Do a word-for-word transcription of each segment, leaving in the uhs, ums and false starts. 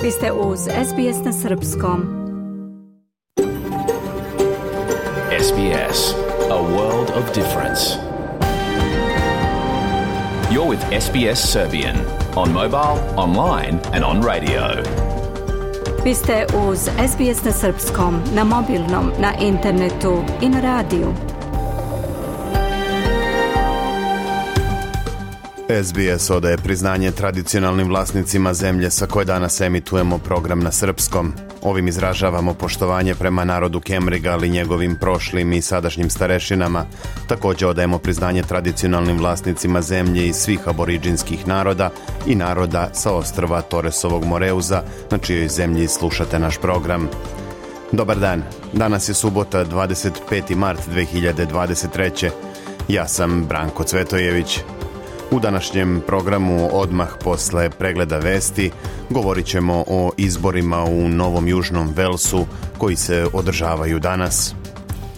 Vi ste uz S B S na srpskom. S B S, a world of difference. You're with S B S Serbian on mobile, online and on radio. Vi ste uz S B S na srpskom, na mobilnom, na internetu i na radiju. S B S odaje priznanje tradicionalnim vlasnicima zemlje sa koje danas emitujemo program na srpskom. Ovim izražavamo poštovanje prema narodu Kemriga, ali njegovim prošlim i sadašnjim starešinama. Također odajemo priznanje tradicionalnim vlasnicima zemlje i svih aboriđinskih naroda i naroda sa ostrva Torresovog Moreuza, na čijoj zemlji slušate naš program. Dobar dan, danas je subota dvadeset peti mart dve hiljade dvadeset treće. Ja sam Branko Cvetojević. U današnjem programu odmah posle pregleda vesti govorit ćemo o izborima u Novom Južnom Velsu koji se održavaju danas.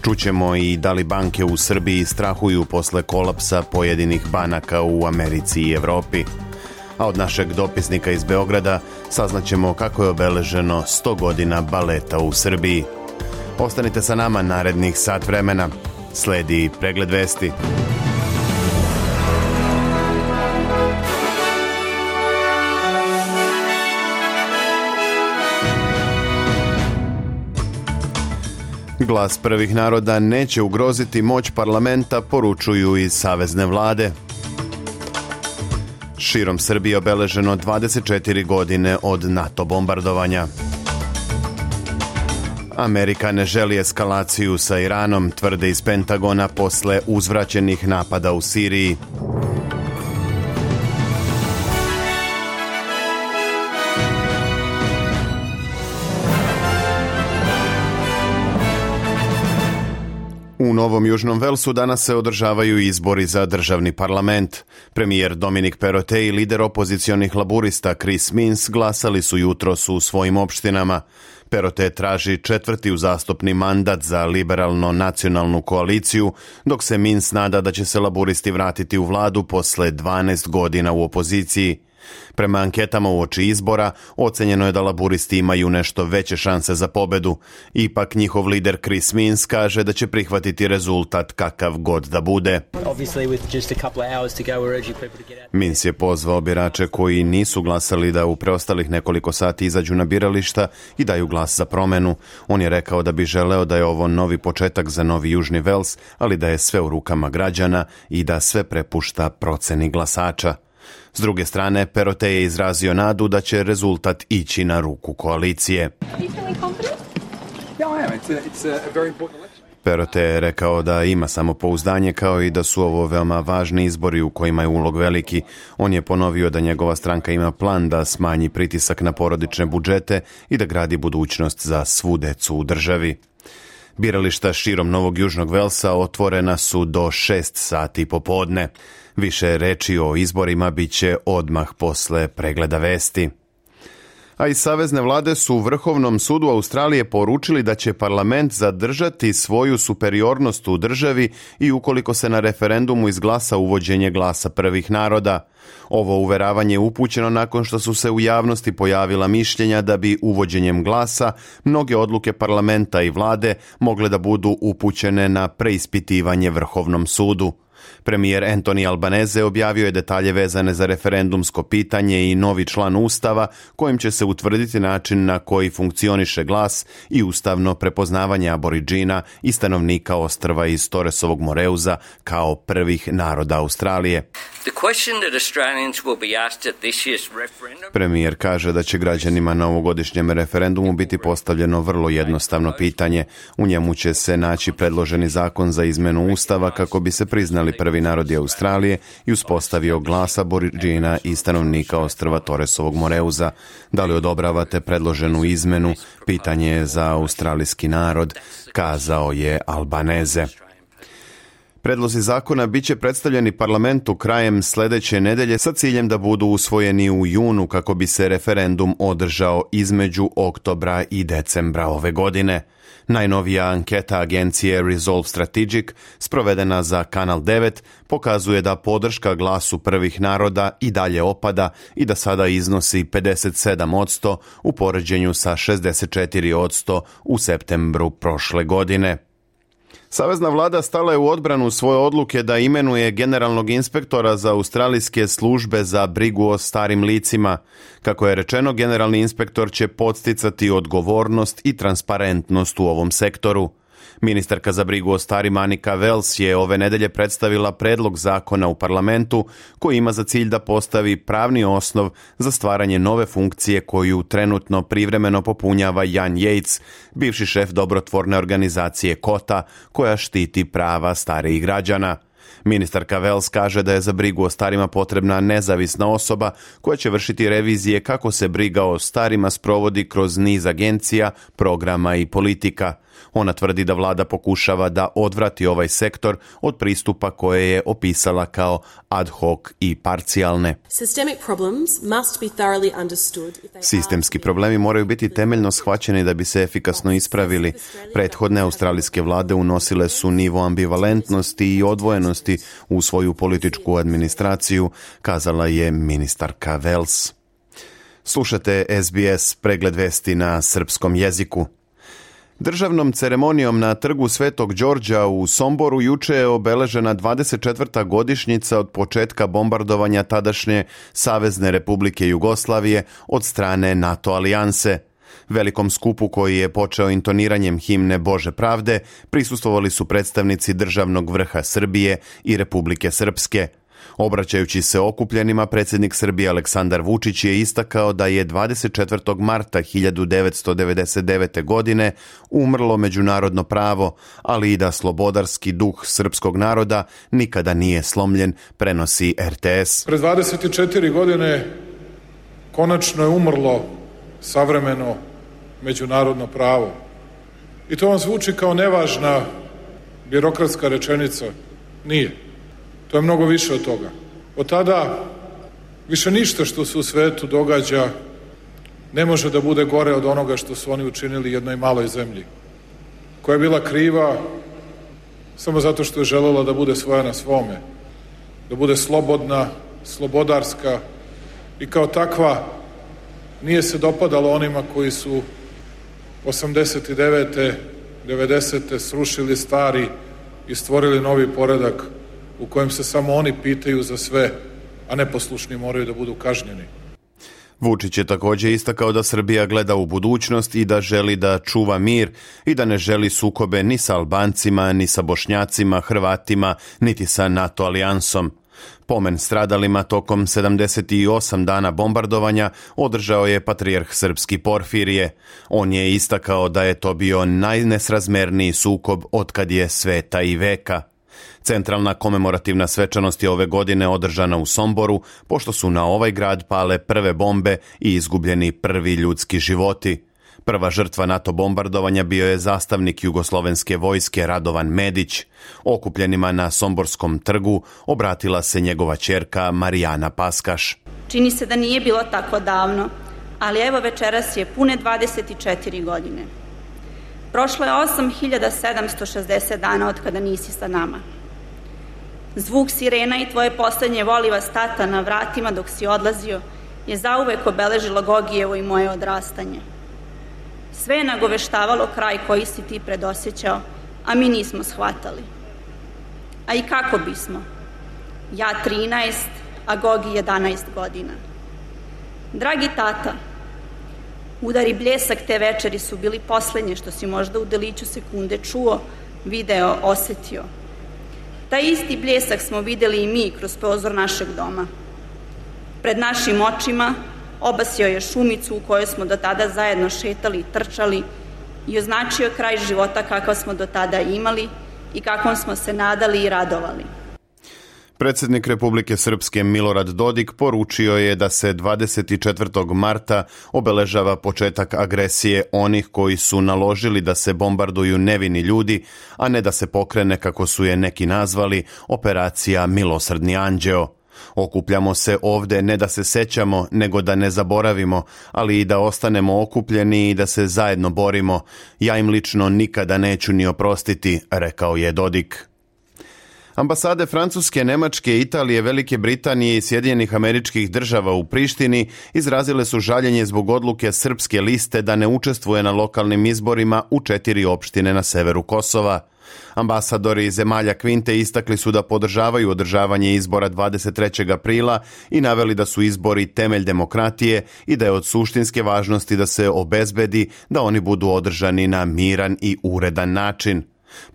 Čućemo i da li banke u Srbiji strahuju posle kolapsa pojedinih banaka u Americi i Evropi. A od našeg dopisnika iz Beograda saznaćemo kako je obeleženo sto godina baleta u Srbiji. Ostanite sa nama narednih sat vremena. Sledi pregled vesti. Glas prvih naroda neće ugroziti moć parlamenta, poručuju iz savezne vlade. Širom Srbije obeleženo dvadeset četiri godine od NATO bombardovanja. Amerika ne želi eskalaciju sa Iranom, tvrde iz Pentagona posle uzvraćenih napada u Siriji. U Novom Južnom Velsu danas se održavaju izbori za državni parlament. Premijer Dominik Perrottet i lider opozicionih laburista Chris Minns glasali su jutros u svojim opštinama. Perrottet traži četvrti uzastopni mandat za liberalno-nacionalnu koaliciju, dok se Minns nada da će se laburisti vratiti u vladu posle dvanaest godina u opoziciji. Prema anketama uoči izbora, ocenjeno je da laburisti imaju nešto veće šanse za pobedu. Ipak njihov lider Chris Minns kaže da će prihvatiti rezultat kakav god da bude. Minns je pozvao birače koji nisu glasali da u preostalih nekoliko sati izađu na birališta i daju glas za promenu. On je rekao da bi želeo da je ovo novi početak za Novi Južni Vels, ali da je sve u rukama građana i da sve prepušta proceni glasača. S druge strane, Perrottet je izrazio nadu da će rezultat ići na ruku koalicije. Perrottet je rekao da ima samopouzdanje kao i da su ovo veoma važni izbori u kojima je ulog veliki. On je ponovio da njegova stranka ima plan da smanji pritisak na porodične budžete i da gradi budućnost za svu decu u državi. Birališta širom Novog Južnog Velsa otvorena su do šest sati popodne. Više reči o izborima bit će odmah posle pregleda vesti. A iz savezne vlade su u Vrhovnom sudu Australije poručili da će parlament zadržati svoju superiornost u državi i ukoliko se na referendumu izglasa uvođenje glasa prvih naroda. Ovo uveravanje je upućeno nakon što su se u javnosti pojavila mišljenja da bi uvođenjem glasa mnoge odluke parlamenta i vlade mogle da budu upućene na preispitivanje Vrhovnom sudu. Premijer Anthony Albanese objavio je detalje vezane za referendumsko pitanje i novi član Ustava kojim će se utvrditi način na koji funkcioniše glas i ustavno prepoznavanje aboriđina i stanovnika ostrva iz Torresovog Moreuza kao prvih naroda Australije. Premijer kaže da će građanima na ovogodišnjem referendumu biti postavljeno vrlo jednostavno pitanje. U njemu će se naći predloženi zakon za izmenu Ustava kako bi se priznali prvi narodi Australije i uspostavio glas aboriđina i stanovnika ostrva Torresovog Moreuza. Da li odobravate predloženu izmenu? Pitanje je za australijski narod, kazao je Albanese. Predlozi zakona biće predstavljeni parlamentu krajem sledeće nedelje sa ciljem da budu usvojeni u junu kako bi se referendum održao između oktobra i decembra ove godine. Najnovija anketa agencije Resolve Strategic, sprovedena za Kanal devet, pokazuje da podrška glasu prvih naroda i dalje opada i da sada iznosi pedeset sedam posto u poređenju sa šezdeset četiri posto u septembru prošle godine. Savezna vlada stala je u odbranu svoje odluke da imenuje generalnog inspektora za australijske službe za brigu o starim licima. Kako je rečeno, generalni inspektor će podsticati odgovornost i transparentnost u ovom sektoru. Ministarka za brigu o starima Annika Wells je ove nedelje predstavila predlog zakona u parlamentu koji ima za cilj da postavi pravni osnov za stvaranje nove funkcije koju trenutno privremeno popunjava Jan Yates, bivši šef dobrotvorne organizacije Kota, koja štiti prava starijih građana. Ministarka Wells kaže da je za brigu o starima potrebna nezavisna osoba koja će vršiti revizije kako se briga o starima sprovodi kroz niz agencija, programa i politika. Ona tvrdi da vlada pokušava da odvrati ovaj sektor od pristupa koje je opisala kao ad hoc i parcijalne. Sistemski problemi moraju biti temeljno shvaćeni da bi se efikasno ispravili. Prethodne australijske vlade unosile su nivo ambivalentnosti i odvojenosti u svoju političku administraciju, kazala je ministarka Wells. Slušate S B S pregled vesti na srpskom jeziku. Državnom ceremonijom na trgu Svetog Đorđa u Somboru juče je obeležena dvadeset četvrta godišnjica od početka bombardovanja tadašnje Savezne Republike Jugoslavije od strane NATO alijanse. Velikom skupu koji je počeo intoniranjem himne Bože pravde prisustvovali su predstavnici državnog vrha Srbije i Republike Srpske. Obraćajući se okupljenima, predsjednik Srbije Aleksandar Vučić je istakao da je dvadeset četvrtog marta hiljadu devetsto devedeset devete. godine umrlo međunarodno pravo, ali i da slobodarski duh srpskog naroda nikada nije slomljen, prenosi R T S. Pred dvadeset četiri godine konačno je umrlo savremeno međunarodno pravo. I to vam zvuči kao nevažna birokratska rečenica. Nije. To je mnogo više od toga. Od tada više ništa što se u svetu događa ne može da bude gore od onoga što su oni učinili jednoj maloj zemlji, koja je bila kriva samo zato što je želela da bude svoja na svome, da bude slobodna, slobodarska i kao takva nije se dopadalo onima koji su osamdeset devete. devedesete. srušili stari i stvorili novi poredak u kojem se samo oni pitaju za sve, a neposlušni moraju da budu kažnjeni. Vučić je također istakao da Srbija gleda u budućnost i da želi da čuva mir i da ne želi sukobe ni sa Albancima, ni sa Bošnjacima, Hrvatima, niti sa NATO alijansom. Pomen stradalima tokom sedamdeset osam dana bombardovanja održao je patrijarh srpski Porfirije. On je istakao da je to bio najnesrazmerniji sukob otkad je sveta i veka. Centralna komemorativna svečanost je ove godine održana u Somboru, pošto su na ovaj grad pale prve bombe i izgubljeni prvi ljudski životi. Prva žrtva NATO bombardovanja bio je zastavnik jugoslovenske vojske Radovan Medić. Okupljenima na Somborskom trgu obratila se njegova ćerka Marijana Paskaš. Čini se da nije bilo tako davno, ali evo večeras je pune dvadeset četiri godine. Prošlo je osam hiljada sedamsto šezdeset dana od kada nisi sa nama. Zvuk sirena i tvoje poslednje voliva stata na vratima dok si odlazio je zauvek obeležilo Gogijevo i moje odrastanje. Sve je nagoveštavalo kraj koji si ti predosjećao, a mi nismo shvatali. A i kako bismo? Ja trinaest, a Gogi jedanaest godina. Dragi tata, udari bljesak te večeri su bili poslednje što si možda u deliću sekunde čuo, video, osetio. Taj isti bljesak smo videli i mi kroz prozor našeg doma. Pred našim očima obasio je šumicu u kojoj smo do tada zajedno šetali i trčali i označio kraj života kakav smo do tada imali i kakvom smo se nadali i radovali. Predsjednik Republike Srpske Milorad Dodik poručio je da se dvadeset četvrtog marta obeležava početak agresije onih koji su naložili da se bombarduju nevini ljudi, a ne da se pokrene, kako su je neki nazvali, operacija Milosrdni anđeo. Okupljamo se ovde ne da se sećamo, nego da ne zaboravimo, ali i da ostanemo okupljeni i da se zajedno borimo. Ja im lično nikada neću ni oprostiti, rekao je Dodik. Ambasade Francuske, Nemačke, Italije, Velike Britanije i Sjedinjenih Američkih Država u Prištini izrazile su žaljenje zbog odluke Srpske liste da ne učestvuje na lokalnim izborima u četiri opštine na severu Kosova. Ambasadori zemalja Kvinte istakli su da podržavaju održavanje izbora dvadeset trećeg aprila i naveli da su izbori temelj demokratije i da je od suštinske važnosti da se obezbedi da oni budu održani na miran i uredan način.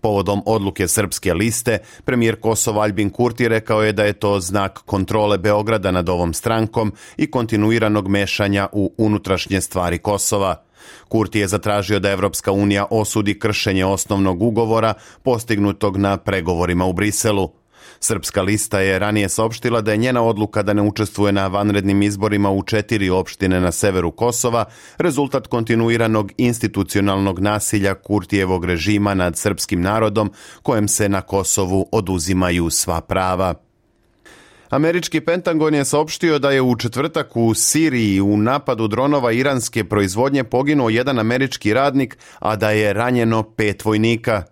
Povodom odluke Srpske liste, premijer Kosova Aljbin Kurti rekao je da je to znak kontrole Beograda nad ovom strankom i kontinuiranog mešanja u unutrašnje stvari Kosova. Kurti je zatražio da Evropska unija osudi kršenje osnovnog ugovora postignutog na pregovorima u Briselu. Srpska lista je ranije saopštila da je njena odluka da ne učestvuje na vanrednim izborima u četiri opštine na severu Kosova rezultat kontinuiranog institucionalnog nasilja Kurtijevog režima nad srpskim narodom, kojem se na Kosovu oduzimaju sva prava. Američki Pentagon je saopštio da je u četvrtak u Siriji u napadu dronova iranske proizvodnje poginuo jedan američki radnik, a da je ranjeno pet vojnika.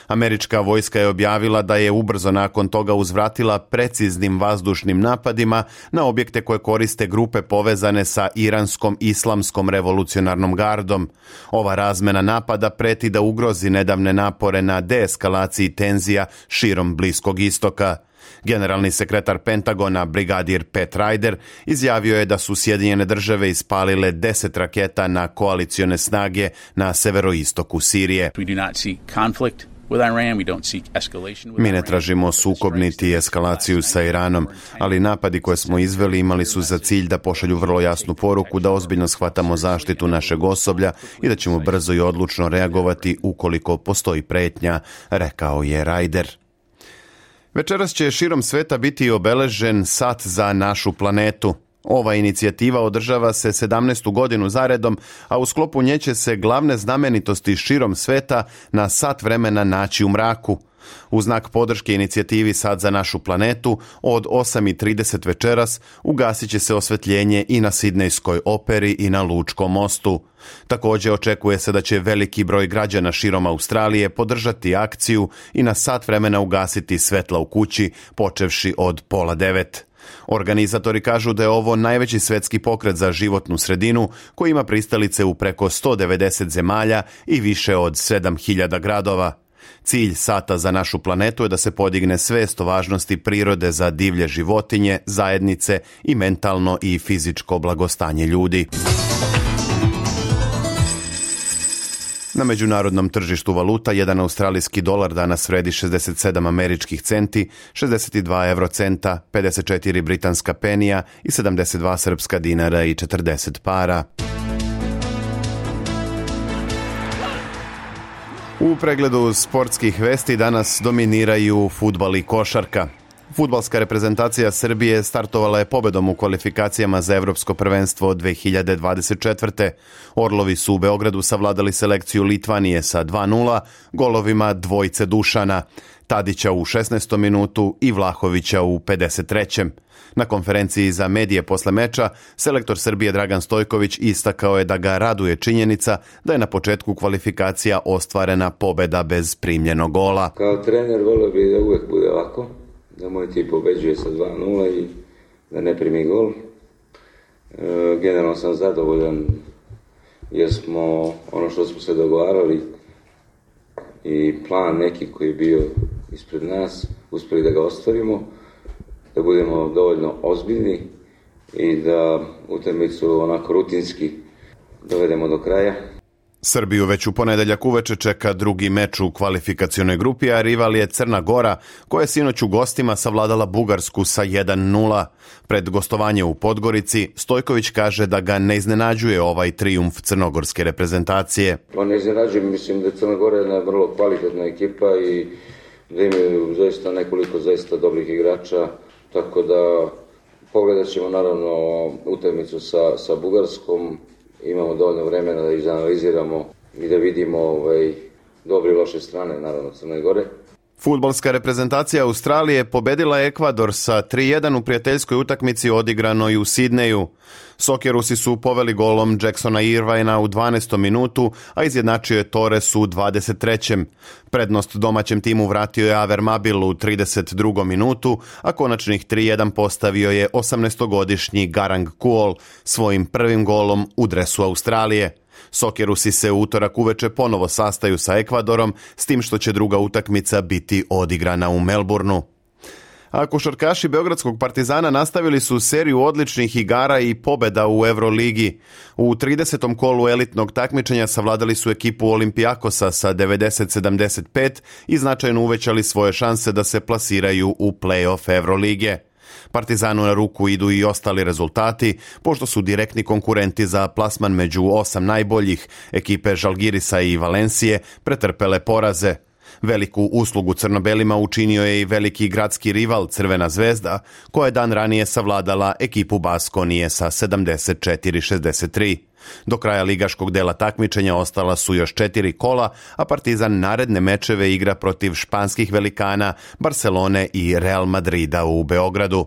Američka vojska je objavila da je ubrzo nakon toga uzvratila preciznim vazdušnim napadima na objekte koje koriste grupe povezane sa iranskom islamskom revolucionarnom gardom. Ova razmena napada preti da ugrozi nedavne napore na deeskalaciji tenzija širom Bliskog istoka. Generalni sekretar Pentagona, brigadir Pat Ryder, izjavio je da su Sjedinjene države ispalile deset raketa na koalicione snage na severoistoku Sirije. Mi ne tražimo sukob niti eskalaciju sa Iranom, ali napadi koje smo izveli imali su za cilj da pošalju vrlo jasnu poruku da ozbiljno shvatamo zaštitu našeg osoblja i da ćemo brzo i odlučno reagovati ukoliko postoji pretnja, rekao je Ryder. Večeras će širom sveta biti obeležen sat za našu planetu. Ova inicijativa održava se sedamnaestu godinu zaredom, a u sklopu nje će se glavne znamenitosti širom sveta na sat vremena naći u mraku. U znak podrške inicijativi Sat za našu planetu, od osam i trideset večeras ugasit će se osvetljenje i na Sidnejskoj operi i na Lučkom mostu. Također očekuje se da će veliki broj građana širom Australije podržati akciju i na sat vremena ugasiti svetla u kući, počevši od pola devet. Organizatori kažu da je ovo najveći svetski pokret za životnu sredinu koji ima pristalice u preko sto devedeset zemalja i više od sedam hiljada gradova. Cilj Sata za našu planetu je da se podigne svest o važnosti prirode za divlje životinje, zajednice i mentalno i fizičko blagostanje ljudi. Na međunarodnom tržištu valuta jedan australijski dolar danas vredi šezdeset sedam američkih centi, šezdeset dva eurocenta, pedeset četiri britanska penija i sedamdeset dva srpska dinara i četrdeset para. U pregledu sportskih vesti danas dominiraju fudbal i košarka. Fudbalska reprezentacija Srbije startovala je pobedom u kvalifikacijama za Evropsko prvenstvo dve hiljade dvadeset četvrte. Orlovi su u Beogradu savladali selekciju Litvanije sa dva nula, golovima dvojce Dušana, Tadića u šesnaestom minutu i Vlahovića u pedeset trećem. Na konferenciji za medije posle meča, selektor Srbije Dragan Stojković istakao je da ga raduje činjenica da je na početku kvalifikacija ostvarena pobeda bez primljenog gola. Kao trener volio bi da uvek bude ovako, da moj tim pobeđuje sa dva nula i da ne primi gol. E, generalno sam zadovoljan jer smo ono što smo se dogovarali i plan neki koji je bio ispred nas, uspeli da ga ostvarimo, da budemo dovoljno ozbiljni i da utakmicu onako rutinski dovedemo do kraja. Srbiju već u ponedeljak uveče čeka drugi meč u kvalifikacionoj grupi, a rival je Crna Gora, koja je sinoć u gostima savladala Bugarsku sa jedan nula. Pred gostovanje u Podgorici, Stojković kaže da ga ne iznenađuje ovaj trijumf crnogorske reprezentacije. Pa ne iznenađuje, mislim da je Crna Gora jedna vrlo kvalitetna ekipa i da imaju zaista nekoliko zaista dobrih igrača. tako da pogledat ćemo naravno utakmicu sa, sa Bugarskom, imamo dovoljno vremena da izanaliziramo i da vidimo ovaj, dobre i loše strane, naravno, Crne Gore. Fudbalska reprezentacija Australije pobedila Ekvador sa tri jedan u prijateljskoj utakmici odigranoj u Sidneju. Soccerusi su poveli golom Jacksona Irvina u dvanaestom minutu, a izjednačio je Torres u dvadeset trećem Prednost domaćem timu vratio je Aver Mabil u trideset drugom minutu, a konačnih tri jedan postavio je osamnaestogodišnji Garang Kuol svojim prvim golom u dresu Australije. Soccerusi se u utorak uveče ponovo sastaju sa Ekvadorom, s tim što će druga utakmica biti odigrana u Melbourneu. A košarkaši Beogradskog Partizana nastavili su seriju odličnih igara i pobjeda u Euroligi. U tridesetom kolu elitnog takmičenja savladali su ekipu Olimpijakosa sa devedeset sedamdeset pet i značajno uvećali svoje šanse da se plasiraju u play-off Eurolige. Partizanu na ruku idu i ostali rezultati, pošto su direktni konkurenti za plasman među osam najboljih, ekipe Žalgirisa i Valencije, pretrpele poraze. Veliku uslugu crnobelima učinio je i veliki gradski rival Crvena zvezda, koja je dan ranije savladala ekipu Baskonije sa sedamdeset četiri šezdeset tri. Do kraja ligaškog dela takmičenja ostala su još četiri kola, a Partizan naredne mečeve igra protiv španskih velikana Barcelone i Real Madrida u Beogradu.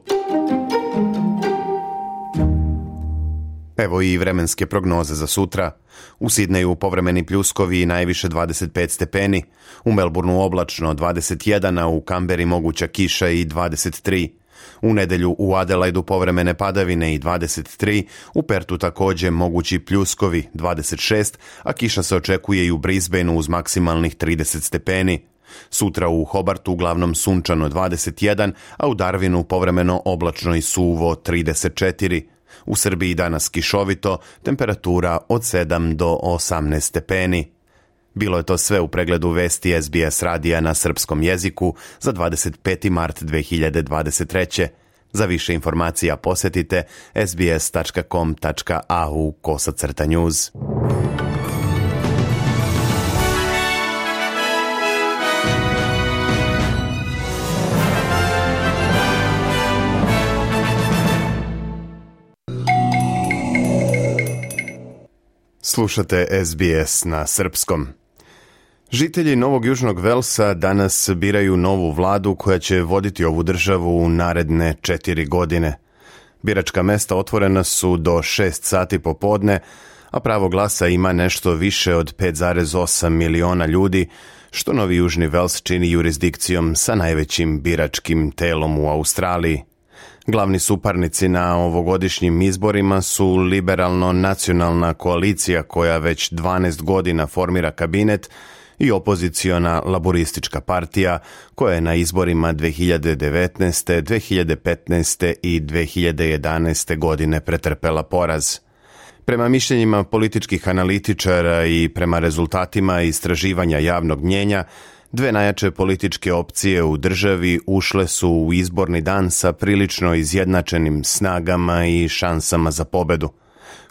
Evo i vremenske prognoze za sutra. U Sidneju povremeni pljuskovi i najviše dvadeset pet stepeni, u Melbourneu oblačno dvadeset jedan, a u Kamberi moguća kiša i dvadeset tri. U nedelju u Adelaidu povremene padavine i dvadeset tri, u Pertu također mogući pljuskovi dvadeset šest, a kiša se očekuje i u Brisbaneu uz maksimalnih trideset stepeni. Sutra u Hobartu uglavnom sunčano dvadeset jedan, a u Darwinu povremeno oblačno i suvo trideset četiri. U Srbiji danas kišovito, temperatura od sedam do osamnaest stepeni. Bilo je to sve u pregledu vesti S B S radija na srpskom jeziku za dvadeset peti mart dve hiljade dvadeset treće. Za više informacija posjetite sbs tačka com tačka a u kosacrta news. Slušate S B S na srpskom. Žitelji Novog Južnog Velsa danas biraju novu vladu koja će voditi ovu državu u naredne četiri godine. Biračka mesta otvorena su do šest sati popodne, a pravo glasa ima nešto više od pet zarez osam miliona ljudi, što Novi Južni Vels čini jurisdikcijom sa najvećim biračkim telom u Australiji. Glavni suparnici na ovogodišnjim izborima su liberalno-nacionalna koalicija koja već dvanaest godina formira kabinet i opoziciona laboristička partija koja je na izborima dve hiljade devetnaeste, dve hiljade petnaeste i dve hiljade jedanaeste godine pretrpela poraz. Prema mišljenjima političkih analitičara i prema rezultatima istraživanja javnog mnjenja, dve najjače političke opcije u državi ušle su u izborni dan sa prilično izjednačenim snagama i šansama za pobedu.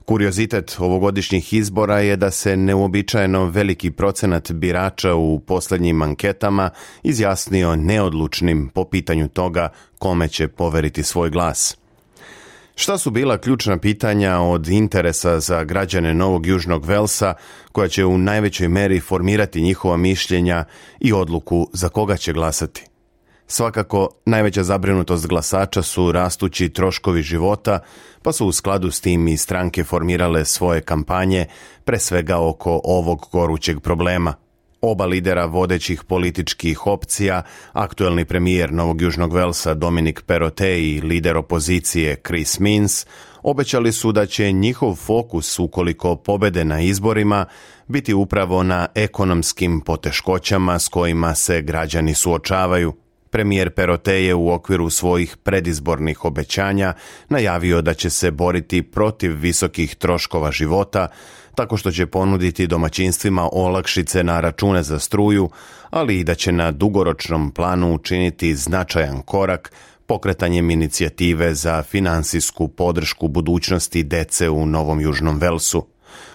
Kuriozitet ovogodišnjih izbora je da se neuobičajeno veliki procenat birača u posljednjim anketama izjasnio neodlučnim po pitanju toga kome će poveriti svoj glas. Šta su bila ključna pitanja od interesa za građane Novog Južnog Velsa koja će u najvećoj meri formirati njihova mišljenja i odluku za koga će glasati? Svakako, najveća zabrinutost glasača su rastući troškovi života, pa su u skladu s tim i stranke formirale svoje kampanje, pre svega oko ovog gorućeg problema. Oba lidera vodećih političkih opcija, aktuelni premijer Novog Južnog Velsa Dominic Perrottet i lider opozicije Chris Minns, obećali su da će njihov fokus, ukoliko pobede na izborima, biti upravo na ekonomskim poteškoćama s kojima se građani suočavaju. Premijer Perrottet je u okviru svojih predizbornih obećanja najavio da će se boriti protiv visokih troškova života, tako što će ponuditi domaćinstvima olakšice na račune za struju, ali i da će na dugoročnom planu učiniti značajan korak pokretanjem inicijative za finansijsku podršku budućnosti dece u Novom Južnom Velsu.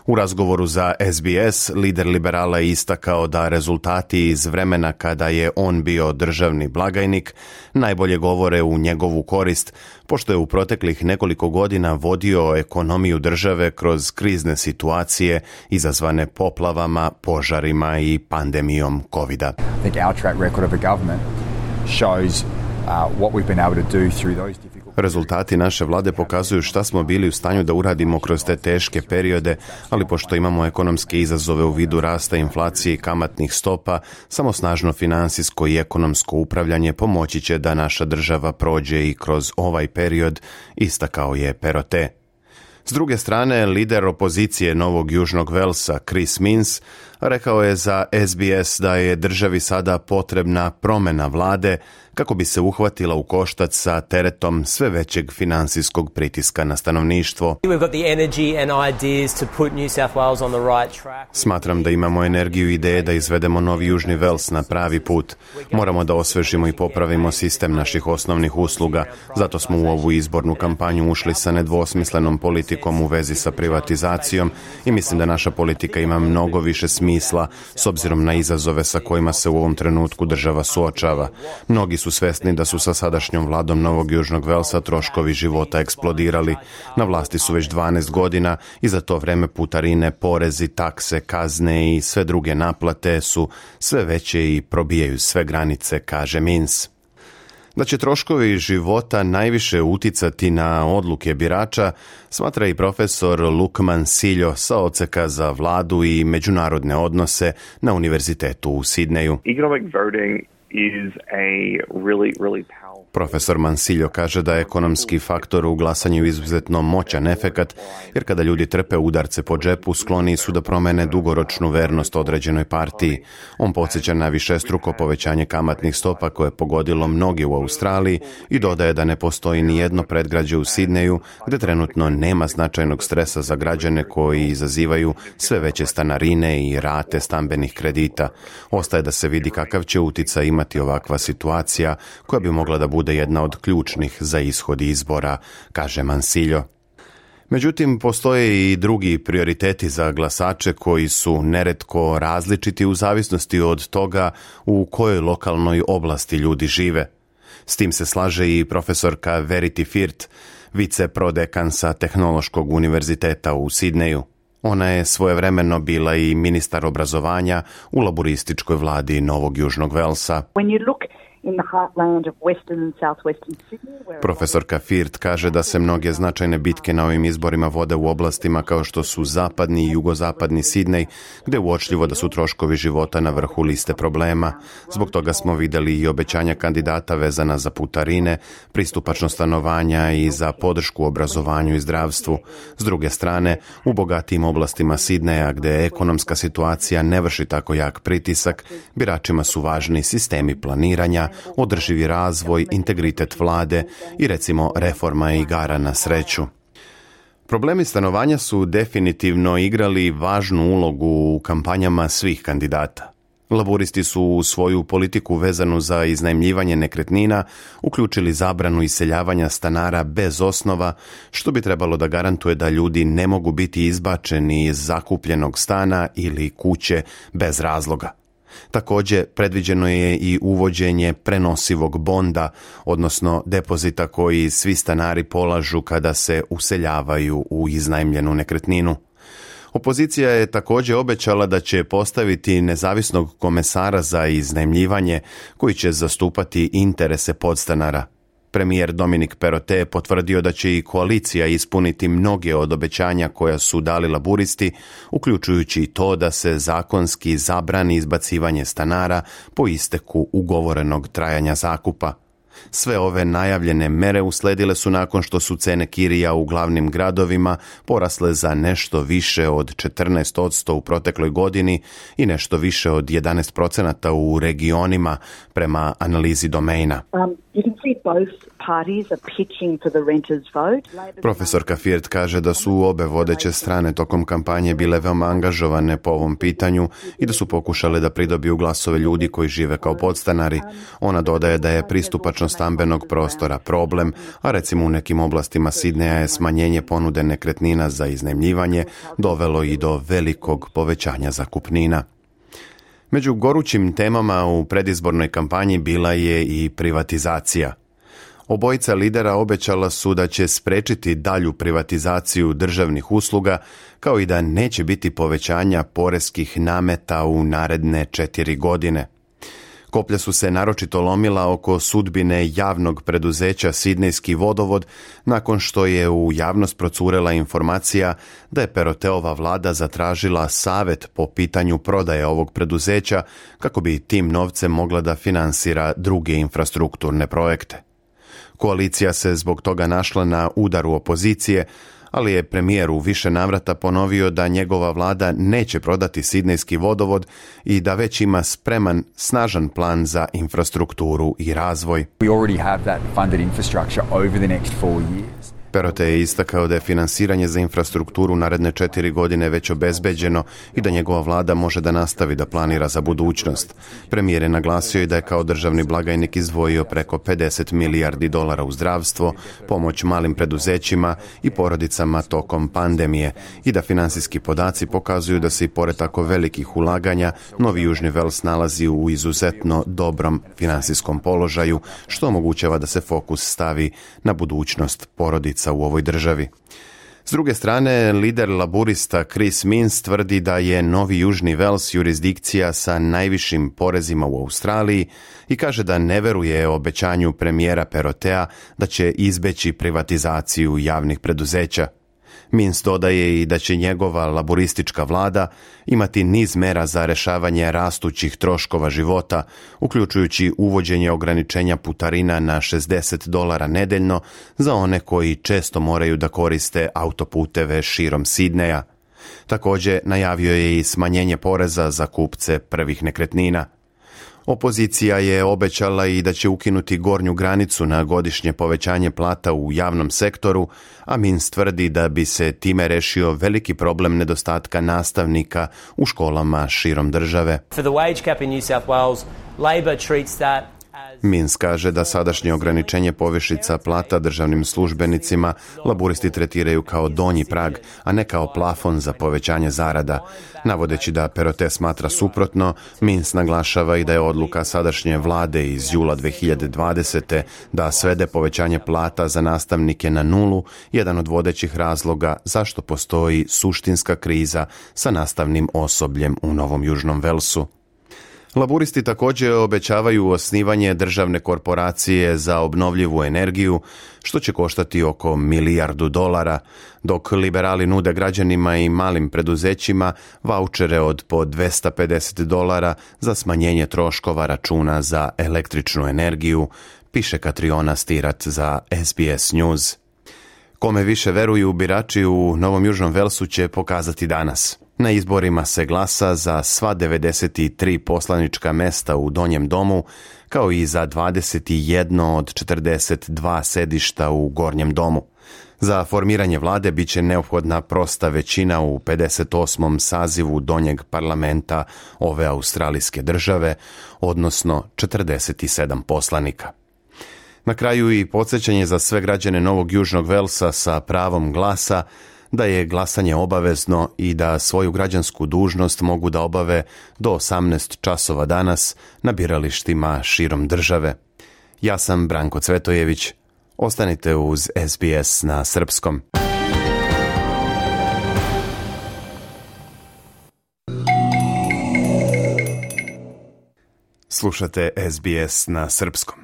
U razgovoru za S B S, lider liberala je istakao da rezultati iz vremena kada je on bio državni blagajnik najbolje govore u njegovu korist, pošto je u proteklih nekoliko godina vodio ekonomiju države kroz krizne situacije izazvane poplavama, požarima i pandemijom kovida. I think our track record of a government shows uh, what we've been able to do through those difficult. Rezultati naše vlade pokazuju šta smo bili u stanju da uradimo kroz te teške periode, ali pošto imamo ekonomske izazove u vidu rasta inflacije i kamatnih stopa, samo snažno finansijsko i ekonomsko upravljanje pomoći će da naša država prođe i kroz ovaj period, istakao je Perottet. S druge strane, lider opozicije Novog Južnog Velsa, Chris Minns, rekao je za S B S da je državi sada potrebna promjena vlade kako bi se uhvatila u koštac sa teretom sve većeg finansijskog pritiska na stanovništvo. Smatram da imamo energiju i ideje da izvedemo Novi Južni Vels na pravi put. Moramo da osvežimo i popravimo sistem naših osnovnih usluga. Zato smo u ovu izbornu kampanju ušli sa nedvosmislenom politikom u vezi sa privatizacijom i mislim da naša politika ima mnogo više smisla s obzirom na izazove sa kojima se u ovom trenutku država suočava. Mnogi su svesni da su sa sadašnjom vladom Novog Južnog Velsa troškovi života eksplodirali. Na vlasti su već dvanaest godina i za to vreme putarine, porezi, takse, kazne i sve druge naplate su sve veće i probijaju sve granice, kaže Minns. Da će troškovi života najviše uticati na odluke birača, smatra i profesor Luke Mansillo sa odseka za vladu i međunarodne odnose na Univerzitetu u Sidneju. Economic voting is a really, really powerful. Profesor Mansillo kaže da je ekonomski faktor u glasanju izuzetno moćan efekat, jer kada ljudi trpe udarce po džepu, skloni su da promene dugoročnu vernost određenoj partiji. On podsjeća na višestruko povećanje kamatnih stopa koje je pogodilo mnogi u Australiji i dodaje da ne postoji ni jedno predgrađe u Sidneju gde trenutno nema značajnog stresa za građane koji izazivaju sve veće stanarine i rate stambenih kredita. Ostaje da se vidi kakav će uticaj imati ovakva situacija koja bi mogla da bude jedna od ključnih za ishod izbora, kaže Mansillo. Međutim, postoje i drugi prioriteti za glasače koji su neretko različiti u zavisnosti od toga u kojoj lokalnoj oblasti ljudi žive. S tim se slaže i profesorka Verity Firth, viceprodekan sa Tehnološkog univerziteta u Sidneju. Ona je svojevremeno bila i ministar obrazovanja u laborističkoj vladi Novog Južnog Velsa. Profesorka Firth kaže da se mnoge značajne bitke na ovim izborima vode u oblastima kao što su zapadni i jugozapadni Sidnej, gde je uočljivo da su troškovi života na vrhu liste problema. Zbog toga smo videli i obećanja kandidata vezana za putarine, pristupačno stanovanja i za podršku obrazovanju i zdravstvu. S druge strane, u bogatijim oblastima Sidneja, gde ekonomska situacija ne vrši tako jak pritisak, biračima su važni sistemi planiranja, održivi razvoj, integritet vlade i recimo reforma igara na sreću. Problemi stanovanja su definitivno igrali važnu ulogu u kampanjama svih kandidata. Laburisti su u svoju politiku vezanu za iznajmljivanje nekretnina uključili zabranu iseljavanja stanara bez osnova, što bi trebalo da garantuje da ljudi ne mogu biti izbačeni iz zakupljenog stana ili kuće bez razloga. Također, predviđeno je i uvođenje prenosivog bonda, odnosno depozita koji svi stanari polažu kada se useljavaju u iznajmljenu nekretninu. Opozicija je također obećala da će postaviti nezavisnog komesara za iznajmljivanje koji će zastupati interese podstanara. Premijer Dominic Perottet je potvrdio da će i koalicija ispuniti mnoge od obećanja koja su dali laburisti, uključujući i to da se zakonski zabrani izbacivanje stanara po isteku ugovorenog trajanja zakupa. Sve ove najavljene mere usledile su nakon što su cene kirija u glavnim gradovima porasle za nešto više od četrnaest posto u protekloj godini i nešto više od jedanaest posto u regionima prema analizi Domaina. Um, you can see both Profesorka Fiert kaže da su obe vodeće strane tokom kampanje bile veoma angažovane po ovom pitanju i da su pokušale da pridobiju glasove ljudi koji žive kao podstanari. Ona dodaje da je pristupačnost stambenog prostora problem, a recimo u nekim oblastima Sidneja je smanjenje ponude nekretnina za iznajmljivanje dovelo i do velikog povećanja zakupnina. Među gorućim temama u predizbornoj kampanji bila je i privatizacija. Obojica lidera obećala su da će sprečiti dalju privatizaciju državnih usluga, kao i da neće biti povećanja poreskih nameta u naredne četiri godine. Koplja su se naročito lomila oko sudbine javnog preduzeća Sidnejski vodovod nakon što je u javnost procurela informacija da je Peroteova vlada zatražila savjet po pitanju prodaje ovog preduzeća kako bi tim novcem mogla da finansira druge infrastrukturne projekte. Koalicija se zbog toga našla na udaru opozicije, ali je premijer u više navrata ponovio da njegova vlada neće prodati Sidnejski vodovod i da već ima spreman, snažan plan za infrastrukturu i razvoj. We already have that funded infrastructure over the next four years. Perote je istakao da je finansiranje za infrastrukturu naredne četiri godine već obezbeđeno i da njegova vlada može da nastavi da planira za budućnost. Premijer je naglasio i da je kao državni blagajnik izdvojio preko pedeset milijardi dolara u zdravstvo, pomoć malim preduzećima i porodicama tokom pandemije i da finansijski podaci pokazuju da se i pored tako velikih ulaganja Novi Južni Vels nalazi u izuzetno dobrom finansijskom položaju, što omogućava da se fokus stavi na budućnost porodica u ovoj državi. S druge strane, lider laburista Chris Minns tvrdi da je Novi Južni Vels jurisdikcija sa najvišim porezima u Australiji i kaže da ne veruje obećanju premijera Perotea da će izbeći privatizaciju javnih preduzeća. Minns dodaje i da će njegova laburistička vlada imati niz mera za rešavanje rastućih troškova života, uključujući uvođenje ograničenja putarina na šezdeset dolara nedeljno za one koji često moraju da koriste autoputeve širom Sidneja. Također najavio je i smanjenje poreza za kupce prvih nekretnina. Opozicija je obećala i da će ukinuti gornju granicu na godišnje povećanje plata u javnom sektoru, a Minns tvrdi da bi se time rešio veliki problem nedostatka nastavnika u školama širom države. For the wage cap in New South Wales, Labor treats that. Minns kaže da sadašnje ograničenje povišica plata državnim službenicima laburisti tretiraju kao donji prag, a ne kao plafon za povećanje zarada. Navodeći da Perote smatra suprotno, Minns naglašava i da je odluka sadašnje vlade iz jula dve hiljade dvadesete da svede povećanje plata za nastavnike na nulu jedan od vodećih razloga zašto postoji suštinska kriza sa nastavnim osobljem u Novom Južnom Velsu. Laburisti također obećavaju osnivanje državne korporacije za obnovljivu energiju, što će koštati oko milijardu dolara, dok liberali nude građanima i malim preduzećima vaučere od po dvesta pedeset dolara za smanjenje troškova računa za električnu energiju, piše Katriona Stirat za S B S News. Kome više veruju birači u Novom Južnom Velsu će pokazati danas. Na izborima se glasa za sva devedeset tri poslanička mesta u Donjem domu, kao i za dvadeset jedno od četrdeset dva sedišta u Gornjem domu. Za formiranje vlade biće neophodna prosta većina u pedeset osmom sazivu Donjeg parlamenta ove australijske države, odnosno četrdeset sedam poslanika. Na kraju i podsjećanje za sve građane Novog Južnog Velsa sa pravom glasa da je glasanje obavezno i da svoju građansku dužnost mogu da obave do osamnaest časova danas na biralištima širom države. Ja sam Branko Cvetojević. Ostanite uz S B S na srpskom. Slušate S B S na srpskom.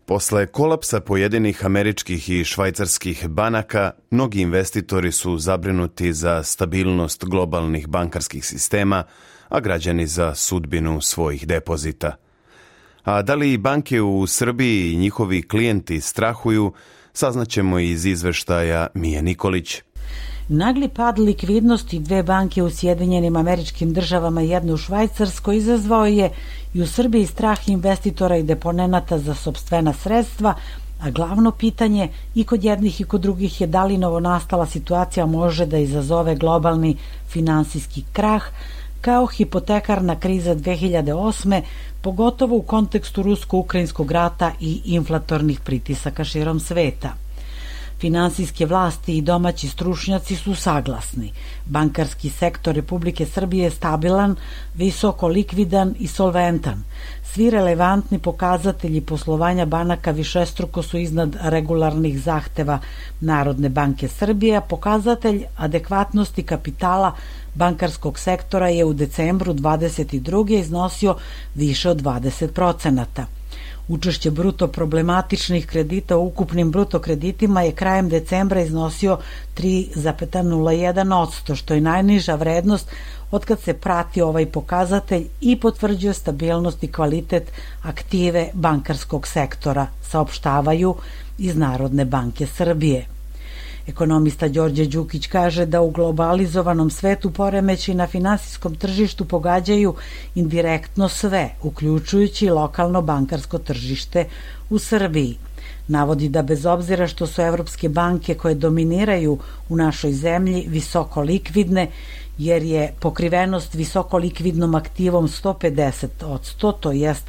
Posle kolapsa pojedinih američkih i švajcarskih banaka, mnogi investitori su zabrinuti za stabilnost globalnih bankarskih sistema, a građani za sudbinu svojih depozita. A da li banke u Srbiji i njihovi klijenti strahuju, saznaćemo iz izveštaja Mije Nikolić. Nagli pad likvidnosti dve banke u Sjedinjenim Američkim Državama i jedne u Švajcarskoj izazvao je i u Srbiji strah investitora i deponenata za sopstvena sredstva, a glavno pitanje i kod jednih i kod drugih je da li novonastala situacija može da izazove globalni finansijski krah, kao hipotekarna kriza dve hiljade osme, pogotovo u kontekstu rusko-ukrajinskog rata i inflatornih pritisaka širom sveta. Finansijske vlasti i domaći stručnjaci su saglasni. Bankarski sektor Republike Srbije je stabilan, visoko likvidan i solventan. Svi relevantni pokazatelji poslovanja banaka višestruko su iznad regularnih zahteva Narodne banke Srbije, a pokazatelj adekvatnosti kapitala bankarskog sektora je u decembru dvadeset druge iznosio više od dvadeset procenata. Učešće bruto problematičnih kredita u ukupnim bruto kreditima je krajem decembra iznosio tri zarez nula jedan posto, što je najniža vrednost otkad se prati ovaj pokazatelj i potvrđuje stabilnost i kvalitet aktive bankarskog sektora, saopštavaju iz Narodne banke Srbije. Ekonomista Đorđe Đukić kaže da u globalizovanom svetu poremeći na finansijskom tržištu pogađaju indirektno sve, uključujući lokalno bankarsko tržište u Srbiji. Navodi da bez obzira što su evropske banke koje dominiraju u našoj zemlji visoko likvidne, jer je pokrivenost visoko likvidnom aktivom sto pedeset posto, to jest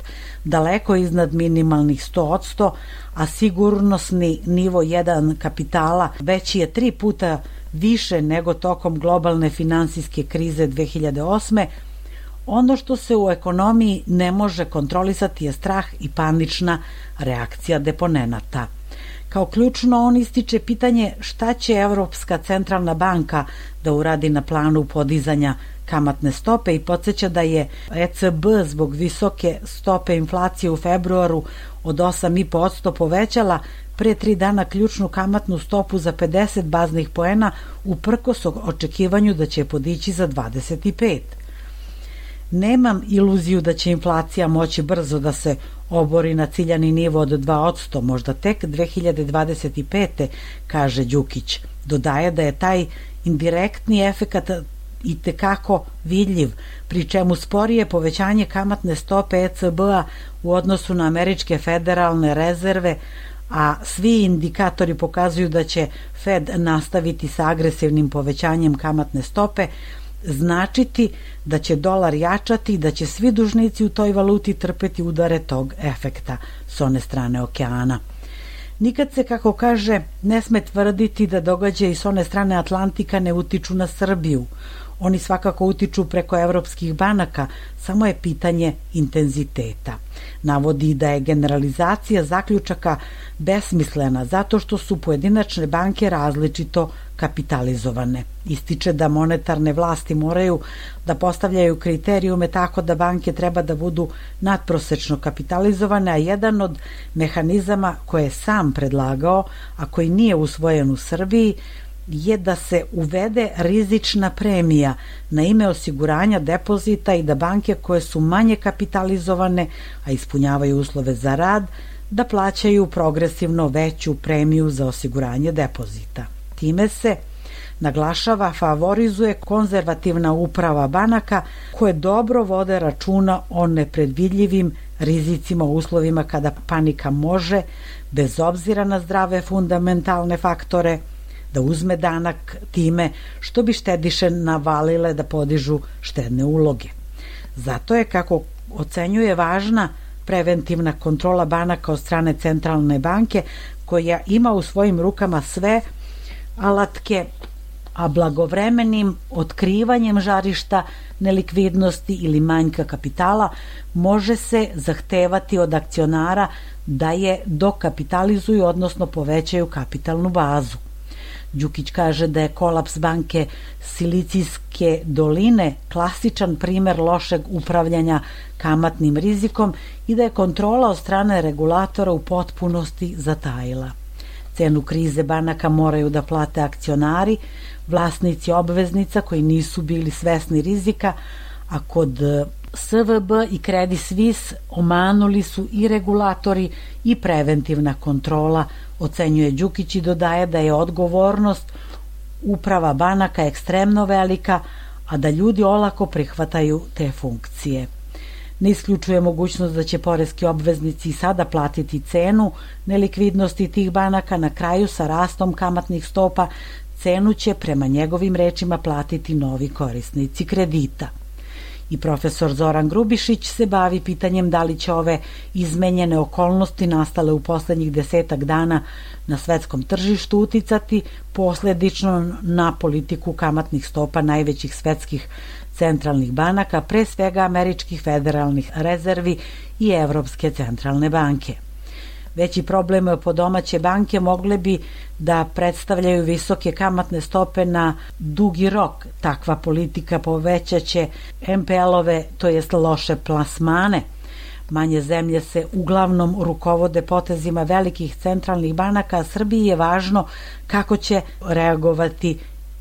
daleko iznad minimalnih sto posto, a sigurnosni nivo jedan kapitala veći je tri puta više nego tokom globalne finansijske krize dve hiljade osme, ono što se u ekonomiji ne može kontrolisati je strah i panična reakcija deponenata. Kao ključno on ističe pitanje šta će Evropska centralna banka da uradi na planu podizanja kamatne stope i podsjeća da je E C B zbog visoke stope inflacije u februaru od osam zarez pet posto povećala pre tri dana ključnu kamatnu stopu za pedeset baznih poena uprkos očekivanju da će podići za dvadeset pet. Nemam iluziju da će inflacija moći brzo da se obori na ciljani nivo od dva posto, možda tek dve hiljade dvadeset pete, kaže Đukić. Dodaje da je taj indirektni efekat i tekako vidljiv, pri čemu sporije povećanje kamatne stope E C B-a u odnosu na američke federalne rezerve, a svi indikatori pokazuju da će Fed nastaviti sa agresivnim povećanjem kamatne stope, značiti da će dolar jačati i da će svi dužnici u toj valuti trpeti udare tog efekta s one strane okeana. Nikad se, kako kaže, ne sme tvrditi da događaji s one strane Atlantika ne utiču na Srbiju. Oni svakako utiču preko evropskih banaka, samo je pitanje intenziteta. Navodi da je generalizacija zaključaka besmislena zato što su pojedinačne banke različito kapitalizovane. Ističe da monetarne vlasti moraju da postavljaju kriterijume tako da banke treba da budu nadprosečno kapitalizovane, a jedan od mehanizama koje je sam predlagao, a koji nije usvojen u Srbiji, je da se uvede rizična premija na ime osiguranja depozita i da banke koje su manje kapitalizovane, a ispunjavaju uslove za rad, da plaćaju progresivno veću premiju za osiguranje depozita. Time se, naglašava, favorizuje konzervativna uprava banaka koje dobro vode računa o nepredvidljivim rizicima u uslovima kada panika može, bez obzira na zdrave fundamentalne faktore, da uzme danak time što bi štediše navalile da podižu štedne uloge. Zato je, kako ocenjuje, važna preventivna kontrola banaka od strane centralne banke koja ima u svojim rukama sve alatke, a blagovremenim otkrivanjem žarišta nelikvidnosti ili manjka kapitala može se zahtevati od akcionara da je dokapitalizuju, odnosno povećaju kapitalnu bazu. Đukić kaže da je kolaps banke Silicijske doline klasičan primer lošeg upravljanja kamatnim rizikom i da je kontrola od strane regulatora u potpunosti zatajila. Cenu krize banaka moraju da plate akcionari, vlasnici obveznica koji nisu bili svesni rizika, a kod S V B i Credit Suisse omanuli su i regulatori i preventivna kontrola, ocenjuje Đukić i dodaje da je odgovornost uprava banaka ekstremno velika, a da ljudi olako prihvataju te funkcije. ne isključuje mogućnost da će poreski obveznici sada platiti cenu nelikvidnosti tih banaka. Na kraju, sa rastom kamatnih stopa, cenu će prema njegovim rečima platiti novi korisnici kredita. I profesor Zoran Grubišić se bavi pitanjem da li će ove izmenjene okolnosti nastale u poslednjih desetak dana na svetskom tržištu uticati posledično na politiku kamatnih stopa najvećih svetskih centralnih banaka, pre svega američkih federalnih rezervi i Evropske centralne banke. Veći problem po domaće banke mogle bi da predstavljaju visoke kamatne stope na dugi rok. Takva politika povećaće em pe el-ove, to jest loše plasmane. Manje zemlje se uglavnom rukovode potezima velikih centralnih banaka, a Srbiji je važno kako će reagovati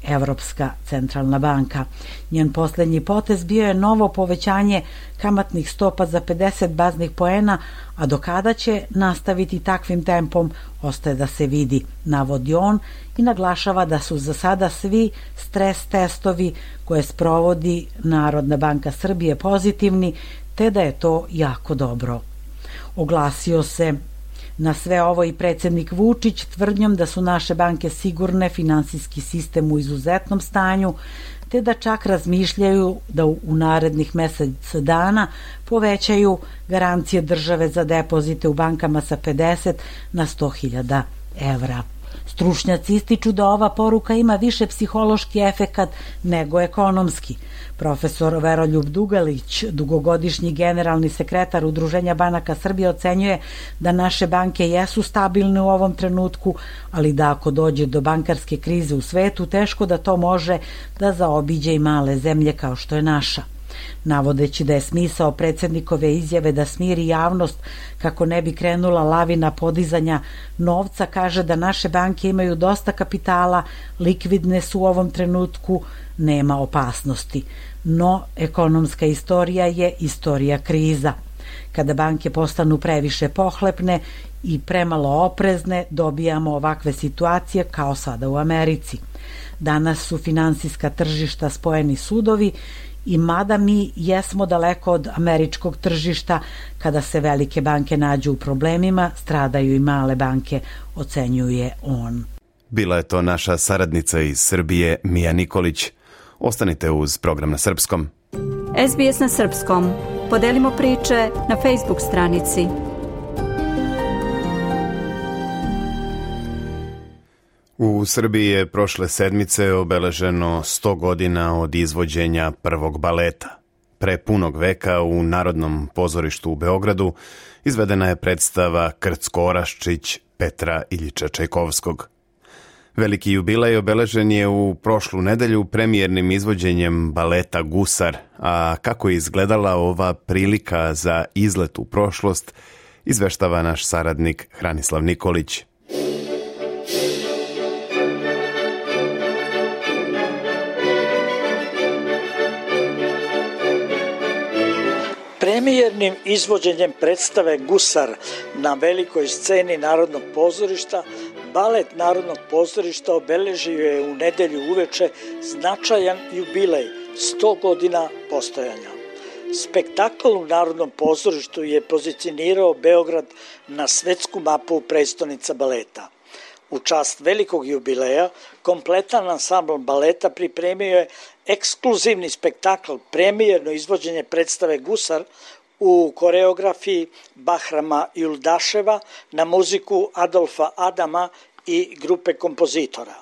Evropska centralna banka. Njen poslednji potez bio je novo povećanje kamatnih stopa za pedeset baznih poena, a do kada će nastaviti takvim tempom ostaje da se vidi, navodi on i naglašava da su za sada svi stres testovi koje sprovodi Narodna banka Srbije pozitivni, te da je to jako dobro. Oglasio se na sve ovo i predsjednik Vučić tvrdnjom da su naše banke sigurne, finansijski sistem u izuzetnom stanju, te da čak razmišljaju da u narednih mesec dana povećaju garancije države za depozite u bankama sa pedeset na sto hiljada evra. Stručnjaci ističu da ova poruka ima više psihološki efekat nego ekonomski. Profesor Veroljub Dugalić, dugogodišnji generalni sekretar Udruženja banaka Srbije, ocenjuje da naše banke jesu stabilne u ovom trenutku, ali da ako dođe do bankarske krize u svetu, teško da to može da zaobiđe i male zemlje kao što je naša. Navodeći da je smisao predsjednikove izjave da smiri javnost kako ne bi krenula lavina podizanja novca, kaže da naše banke imaju dosta kapitala, likvidne su u ovom trenutku, nema opasnosti. No, ekonomska istorija je istorija kriza. Kada banke postanu previše pohlepne i premalo oprezne, dobijamo ovakve situacije kao sada u Americi. Danas su finansijska tržišta spojeni sudovi i mada mi jesmo daleko od američkog tržišta, kada se velike banke nađu u problemima, stradaju i male banke, ocenjuje on. Bila je to naša saradnica iz Srbije, Mija Nikolić. Ostanite uz program na srpskom. es be es na srpskom. Podelimo priče na Facebook stranici. U Srbiji je prošle sedmice obeleženo sto godina od izvođenja prvog baleta. Pre punog veka u Narodnom pozorištu u Beogradu izvedena je predstava Krcko-Oraščić Petra Iljiča Čajkovskog. Veliki jubilej obeležen je u prošlu nedelju premijernim izvođenjem baleta Gusar, a kako je izgledala ova prilika za izlet u prošlost, izveštava naš saradnik Hranislav Nikolić. Premijernim izvođenjem predstave Gusar na velikoj sceni Narodnog pozorišta, balet Narodnog pozorišta obeležio je u nedelju uveče značajan jubilej, sto godina postojanja. Spektakl u Narodnom pozorištu je pozicionirao Beograd na svetsku mapu prestonica baleta. U čast velikog jubileja, kompletan ansambl baleta pripremio je ekskluzivni spektakl, premijerno izvođenje predstave Gusar u koreografiji Bahrama Juldaševa na muziku Adolfa Adama i grupe kompozitora.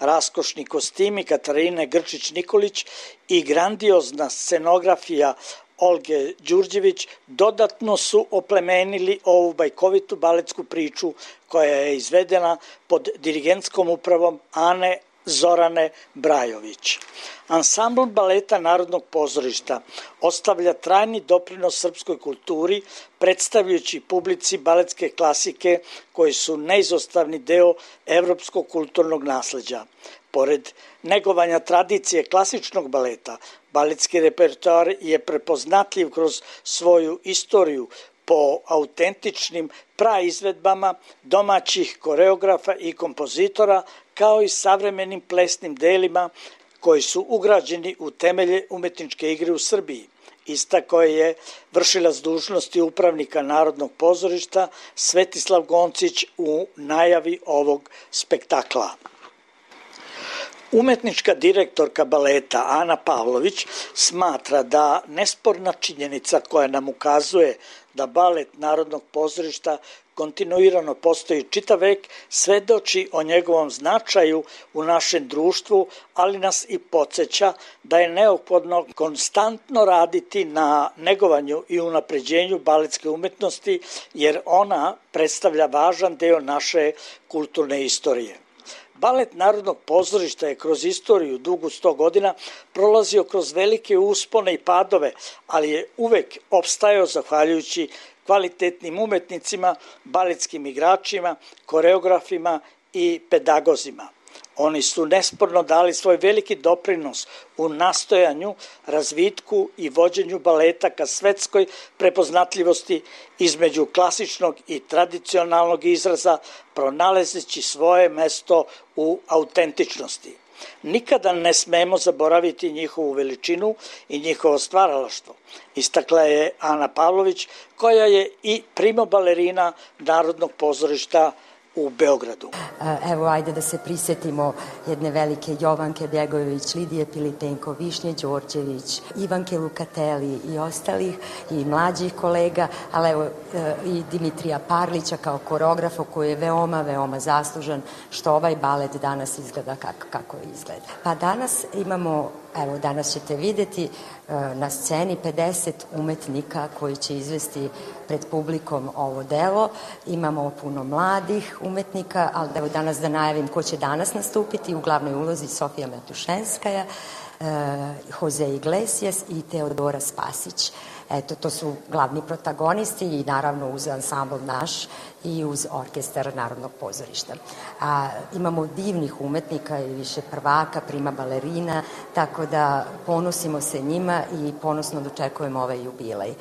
Raskošni kostimi Katarine Grčić-Nikolić i grandiozna scenografija Olge Đurđević dodatno su oplemenili ovu bajkovitu baletsku priču koja je izvedena pod dirigentskom upravom Ane Zorane Brajović. Ansambl baleta Narodnog pozorišta ostavlja trajni doprinos srpskoj kulturi, predstavljajući publici baletske klasike koji su neizostavni deo evropskog kulturnog nasleđa. Pored negovanja tradicije klasičnog baleta, baletski repertoar je prepoznatljiv kroz svoju istoriju po autentičnim praizvedbama domaćih koreografa i kompozitora, kao i savremenim plesnim delima koji su ugrađeni u temelje umetničke igre u Srbiji. Istakao je vršilac dužnosti upravnika Narodnog pozorišta Svetislav Goncić u najavi ovog spektakla. Umetnička direktorka baleta Ana Pavlović smatra da nesporna činjenica koja nam ukazuje da balet Narodnog pozorišta kontinuirano postoji čitav vek, svedoči o njegovom značaju u našem društvu, ali nas i podsjeća da je neophodno konstantno raditi na negovanju i unapređenju baletske umetnosti, jer ona predstavlja važan deo naše kulturne istorije. Balet Narodnog pozorišta je kroz istoriju dugu sto godina prolazio kroz velike uspone i padove, ali je uvek opstajao zahvaljujući kvalitetnim umetnicima, baletskim igračima, koreografima i pedagozima. Oni su nesporno dali svoj veliki doprinos u nastojanju, razvitku i vođenju baleta ka svetskoj prepoznatljivosti između klasičnog i tradicionalnog izraza, pronalazeći svoje mesto u autentičnosti. Nikada ne smemo zaboraviti njihovu veličinu i njihovo stvaralaštvo, istakla je Ana Pavlović, koja je i primobalerina Narodnog pozorišta u Beogradu. Evo, ajde da se prisjetimo jedne velike Jovanke Bjegojević, Lidije Pilitenko, Višnje Đorđević, Ivanke Lukateli i ostalih i mlađih kolega, ali evo i Dimitrija Parlića kao koreografa koji je veoma, veoma zaslužan što ovaj balet danas izgleda kako, kako izgleda. Pa danas imamo, evo danas ćete vidjeti na sceni pedeset umetnika koji će izvesti pred publikom ovo delo. Imamo puno mladih umetnika, ali evo danas da najavim ko će danas nastupiti. U glavnoj ulozi Sofija Matušenskaja, Jose Iglesias i Teodora Spasić. Eto, to su glavni protagonisti i naravno uz ansambl naš i uz orkestar Narodnog pozorišta. A, imamo divnih umetnika i više prvaka, prima balerina, tako da ponosimo se njima i ponosno dočekujemo ovaj jubilej.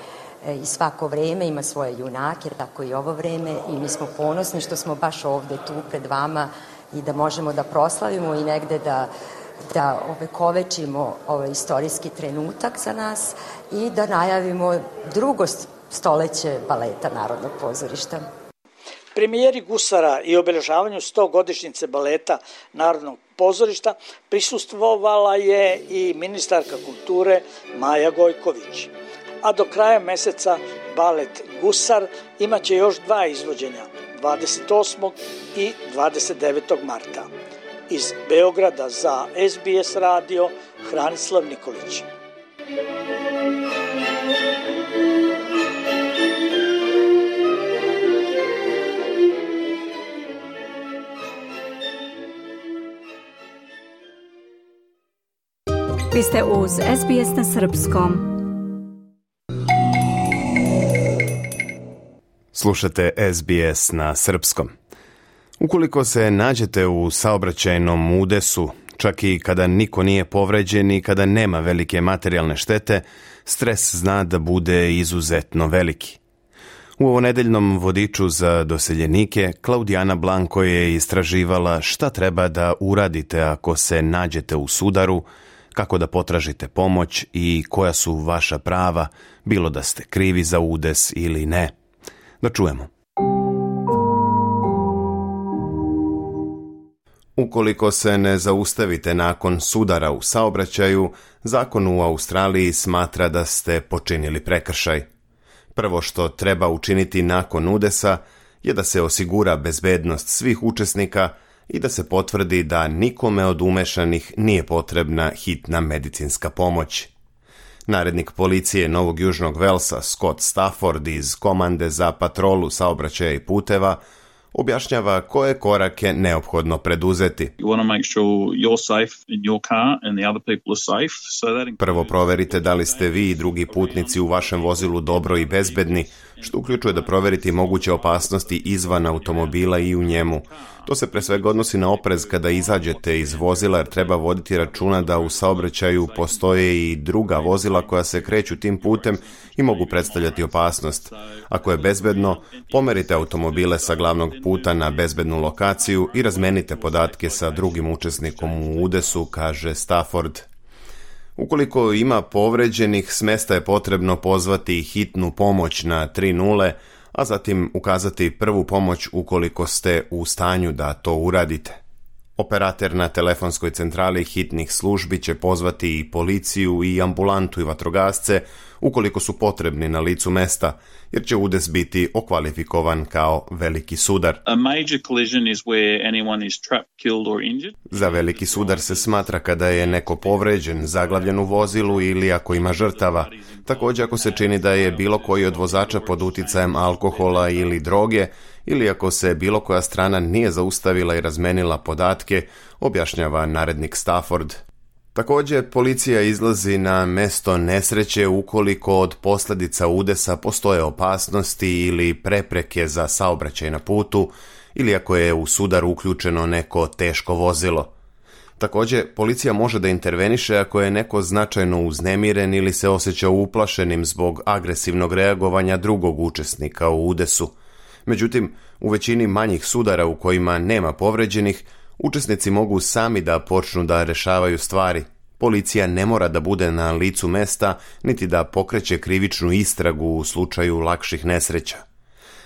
E, I svako vreme ima svoje junake, tako i ovo vreme, i mi smo ponosni što smo baš ovde tu pred vama i da možemo da proslavimo i negde da da ovekovečimo ovaj istorijski trenutak za nas i da najavimo drugo stoleće baleta Narodnog pozorišta. Premijeri Gusara i obeležavanju sto godišnjice baleta Narodnog pozorišta prisustvovala je i ministarka kulture Maja Gojković. A do kraja meseca balet Gusar imaće još dva izvođenja, dvadeset osmog i dvadeset devetog marta. Iz Beograda za S B S radio Hranislav Nikolić. Vi ste uz S B S na srpskom. Slušate S B S na srpskom. Ukoliko se nađete u saobraćajnom udesu, čak i kada niko nije povređen i kada nema velike materijalne štete, stres zna da bude izuzetno veliki. U ovonedeljnom vodiču za doseljenike Klaudijana Blanko je istraživala šta treba da uradite ako se nađete u sudaru, kako da potražite pomoć i koja su vaša prava, bilo da ste krivi za udes ili ne. Da čujemo. Ukoliko se ne zaustavite nakon sudara u saobraćaju, zakon u Australiji smatra da ste počinili prekršaj. Prvo što treba učiniti nakon udesa je da se osigura bezbednost svih učesnika i da se potvrdi da nikome od umešanih nije potrebna hitna medicinska pomoć. Narednik policije Novog Južnog Velsa Scott Stafford iz Komande za patrolu saobraćaja i puteva objašnjava koje korake neophodno preduzeti. Prvo proverite da li ste vi i drugi putnici u vašem vozilu dobro i bezbedni, što uključuje da proverite moguće opasnosti izvan automobila i u njemu. To se pre svega odnosi na oprez kada izađete iz vozila, jer treba voditi računa da u saobraćaju postoje i druga vozila koja se kreću tim putem i mogu predstavljati opasnost. Ako je bezbedno, pomerite automobile sa glavnog puta na bezbednu lokaciju i razmenite podatke sa drugim učesnikom u udesu, kaže Stafford. Ukoliko ima povređenih, s mesta je potrebno pozvati hitnu pomoć na tri nula, a zatim ukazati prvu pomoć ukoliko ste u stanju da to uradite. Operater na telefonskoj centrali hitnih službi će pozvati i policiju i ambulantu i vatrogasce ukoliko su potrebni na licu mesta, jer će udes biti okvalifikovan kao veliki sudar. A major collision is where anyone is trapped, killed or injured. Za veliki sudar se smatra kada je neko povređen, zaglavljen u vozilu ili ako ima žrtava. Također ako se čini da je bilo koji od vozača pod uticajem alkohola ili droge, ili ako se bilo koja strana nije zaustavila i razmenila podatke, objašnjava narednik Stafford. Također, policija izlazi na mesto nesreće ukoliko od posljedica udesa postoje opasnosti ili prepreke za saobraćaj na putu, ili ako je u sudar uključeno neko teško vozilo. Također, policija može da interveniše ako je neko značajno uznemiren ili se osjeća uplašenim zbog agresivnog reagovanja drugog učesnika u udesu. Međutim, u većini manjih sudara u kojima nema povređenih, učesnici mogu sami da počnu da rešavaju stvari. Policija ne mora da bude na licu mesta, niti da pokreće krivičnu istragu u slučaju lakših nesreća.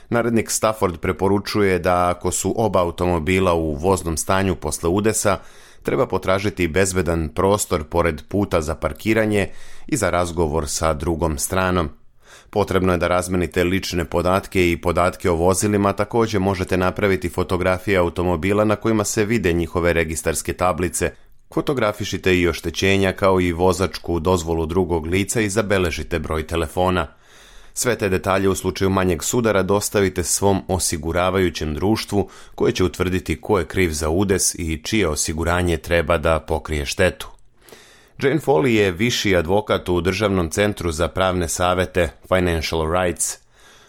Narednik Stafford preporučuje da ako su oba automobila u voznom stanju posle udesa, treba potražiti bezbedan prostor pored puta za parkiranje i za razgovor sa drugom stranom. Potrebno je da razmenite lične podatke i podatke o vozilima, također možete napraviti fotografije automobila na kojima se vide njihove registarske tablice. Fotografišite i oštećenja kao i vozačku dozvolu drugog lica i zabeležite broj telefona. Sve te detalje u slučaju manjeg sudara dostavite svom osiguravajućem društvu koje će utvrditi ko je kriv za udes i čije osiguranje treba da pokrije štetu. Jane Foley je viši advokat u Državnom centru za pravne savete Financial Rights.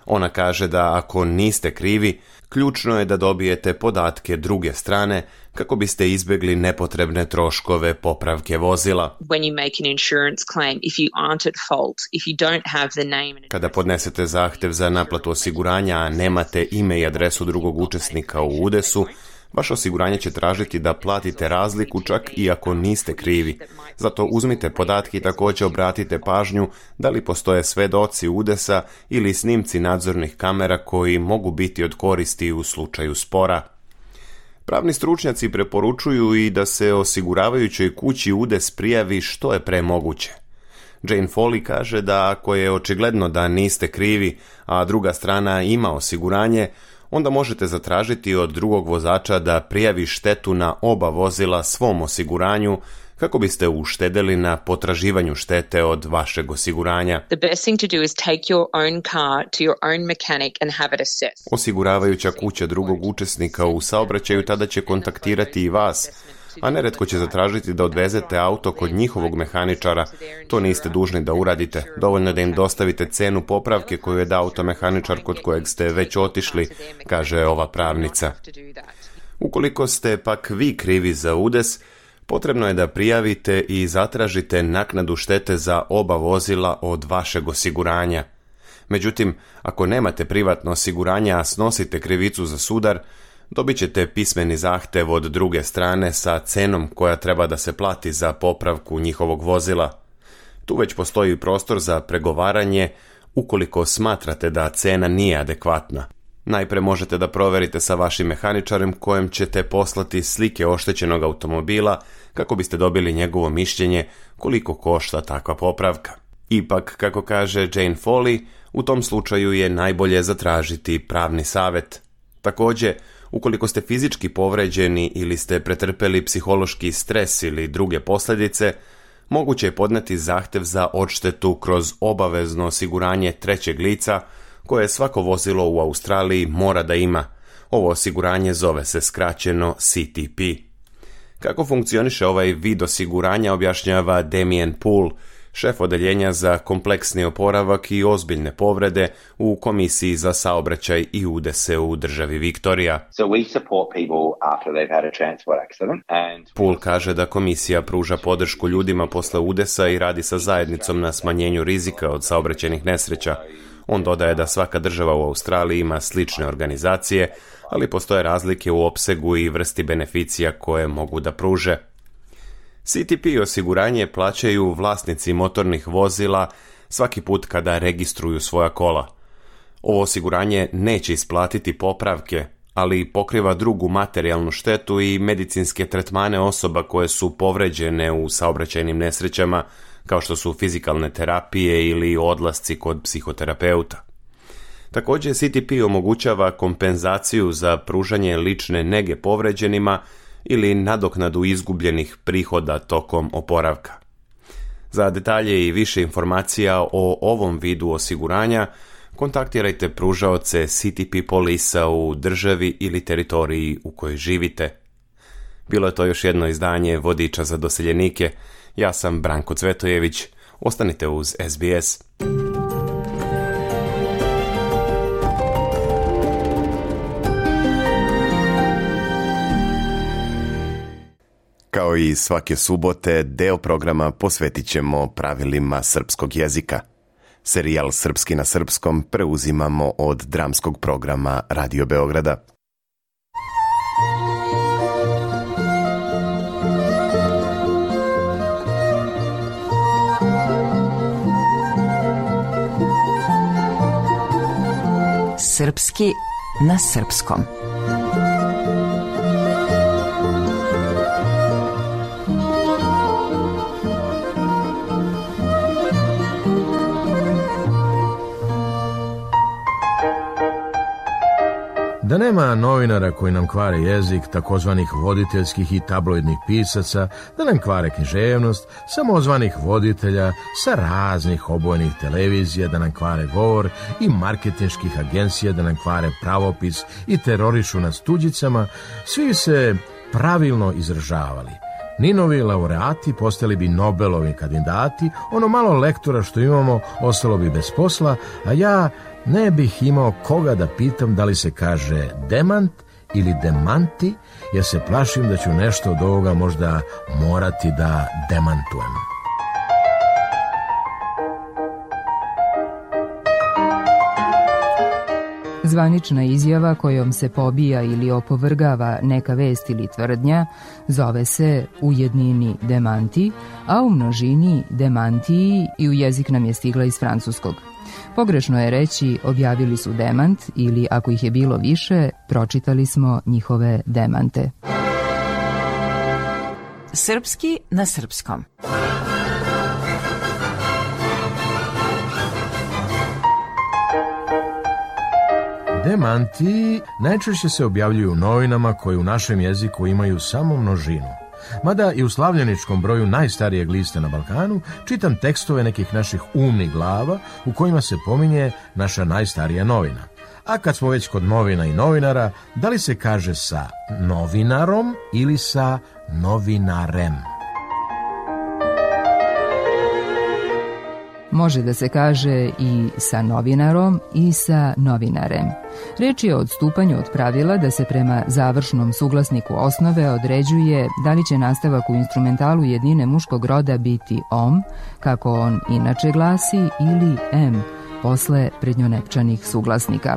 Ona kaže da ako niste krivi, ključno je da dobijete podatke druge strane kako biste izbjegli nepotrebne troškove popravke vozila. Kada podnesete zahtev za naplatu osiguranja, a nemate ime i adresu drugog učesnika u udesu, vaše osiguranje će tražiti da platite razliku čak i ako niste krivi. Zato uzmite podatke i također obratite pažnju da li postoje svedoci udesa ili snimci nadzornih kamera koji mogu biti od koristi u slučaju spora. Pravni stručnjaci preporučuju i da se osiguravajućoj kući udes prijavi što je pre moguće. Jane Foley kaže da ako je očigledno da niste krivi, a druga strana ima osiguranje, onda možete zatražiti od drugog vozača da prijavi štetu na oba vozila svom osiguranju kako biste uštedeli na potraživanju štete od vašeg osiguranja. Osiguravajuća kuća drugog učesnika u saobraćaju tada će kontaktirati i vas, a neretko će zatražiti da odvezete auto kod njihovog mehaničara. To niste dužni da uradite. Dovoljno da im dostavite cenu popravke koju je dao automehaničar kod kojeg ste već otišli, kaže ova pravnica. Ukoliko ste pak vi krivi za udes, potrebno je da prijavite i zatražite naknadu štete za oba vozila od vašeg osiguranja. Međutim, ako nemate privatno osiguranje, a snosite krivicu za sudar, dobit ćete pismeni zahtev od druge strane sa cenom koja treba da se plati za popravku njihovog vozila. Tu već postoji prostor za pregovaranje ukoliko smatrate da cena nije adekvatna. Najpre možete da proverite sa vašim mehaničarem kojem ćete poslati slike oštećenog automobila kako biste dobili njegovo mišljenje koliko košta takva popravka. Ipak, kako kaže Jane Foley, u tom slučaju je najbolje zatražiti pravni savjet. Također, ukoliko ste fizički povređeni ili ste pretrpeli psihološki stres ili druge posljedice, moguće je podneti zahtev za odštetu kroz obavezno osiguranje trećeg lica koje svako vozilo u Australiji mora da ima. Ovo osiguranje zove se skraćeno C T P. Kako funkcioniše ovaj vid osiguranja objašnjava Damien Poole, šef odeljenja za kompleksni oporavak i ozbiljne povrede u Komisiji za saobraćaj i udese u državi Viktorija. So we support people after they've had a transport accident and Poole kaže da komisija pruža podršku ljudima posle udesa i radi sa zajednicom na smanjenju rizika od saobraćajnih nesreća. On dodaje da svaka država u Australiji ima slične organizacije, ali postoje razlike u opsegu i vrsti beneficija koje mogu da pruže. C T P osiguranje plaćaju vlasnici motornih vozila svaki put kada registruju svoja kola. Ovo osiguranje neće isplatiti popravke, ali pokriva drugu materijalnu štetu i medicinske tretmane osoba koje su povređene u saobraćajnim nesrećama, kao što su fizikalne terapije ili odlasci kod psihoterapeuta. Također C T P omogućava kompenzaciju za pružanje lične nege povređenima ili nadoknadu izgubljenih prihoda tokom oporavka. Za detalje i više informacija o ovom vidu osiguranja kontaktirajte pružaoce C T P polisa u državi ili teritoriji u kojoj živite. Bilo je to još jedno izdanje Vodiča za doseljenike. Ja sam Branko Cvetojević. Ostanite uz S B S. Kao i svake subote, deo programa posvetit ćemo pravilima srpskog jezika. Serijal Srpski na srpskom preuzimamo od dramskog programa Radio Beograda. Srpski na srpskom. Da nema novinara koji nam kvare jezik, takozvanih voditeljskih i tabloidnih pisaca, da nam kvare književnost, samozvanih voditelja sa raznih obojnih televizija, da nam kvare govor i marketinških agencija, da nam kvare pravopis i terorišu nas tuđicama, svi se pravilno izražavali. Ninovi laureati postali bi Nobelovi kandidati, ono malo lektora što imamo ostalo bi bez posla, a ja ne bih imao koga da pitam da li se kaže demant ili demanti, jer se plašim da ću nešto od ovoga možda morati da demantujem. Zvanična izjava kojom se pobija ili opovrgava neka vest ili tvrdnja zove se u jednini demanti, a u množini demantiji i u jezik nam je stigla iz francuskog. Pogrešno je reći objavili su demant ili ako ih je bilo više, pročitali smo njihove demante. Srpski na srpskom. Demanti najčešće se objavljuju u novinama koje u našem jeziku imaju samo množinu. Mada i u slavljeničkom broju najstarijeg lista na Balkanu čitam tekstove nekih naših umnih glava u kojima se pominje naša najstarija novina. A kad smo već kod novina i novinara, da li se kaže sa novinarom ili sa novinarem? Može da se kaže i sa novinarom i sa novinarem. Reč je o odstupanju od pravila da se prema završnom suglasniku osnove određuje da li će nastavak u instrumentalu jednine muškog roda biti om, kako on inače glasi, ili em, posle prednjonepčanih suglasnika.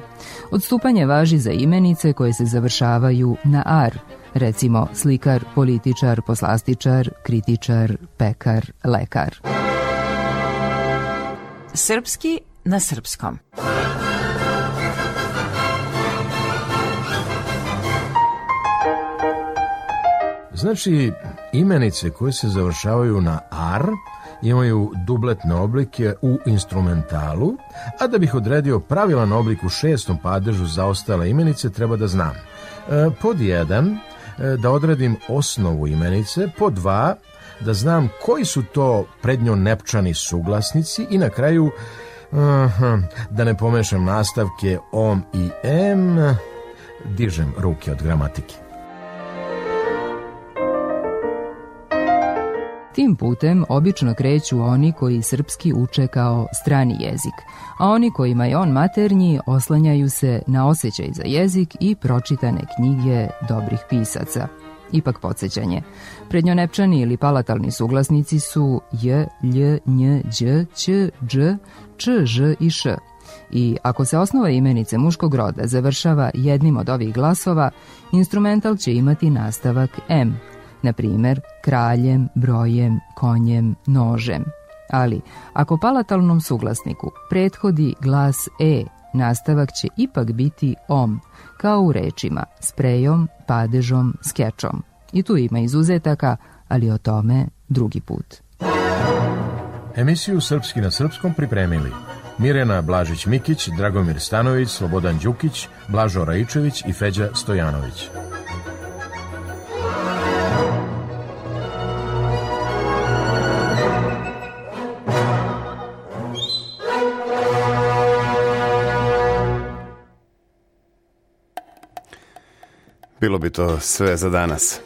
Odstupanje važi za imenice koje se završavaju na ar, recimo slikar, političar, poslastičar, kritičar, pekar, lekar. Srpski na srpskom. Znači, imenice koje se završavaju na ar imaju dubletne oblike u instrumentalu, a da bih odredio pravilan oblik u šestom padežu za ostale imenice treba da znam. E, pod jedan, e, da odredim osnovu imenice, pod dva, da znam koji su to prednjonepčani suglasnici i na kraju, aha, da ne pomešam nastavke om i em, dižem ruke od gramatike. Tim putem obično kreću oni koji srpski uče kao strani jezik, a oni kojima je on maternji oslanjaju se na osjećaj za jezik i pročitane knjige dobrih pisaca. Ipak podsjećanje. Prednjonepčani ili palatalni suglasnici su j, lj, nj, đ, ć, dž, č, ž i š. I ako se osnova imenice muškog roda završava jednim od ovih glasova, instrumental će imati nastavak m, na primer kraljem, brojem, konjem, nožem. Ali, ako palatalnom suglasniku prethodi glas e, nastavak će ipak biti om, kao u rečima sprejom, padežom, skečom. I tu ima izuzetaka, ali o tome drugi put. Emisiju Srpski na srpskom pripremili Mirjana Blažić-Mikić, Dragomir Stanović, Slobodan Đukić, Blažo Raičević i Feđa Stojanović. Bilo bi to sve za danas.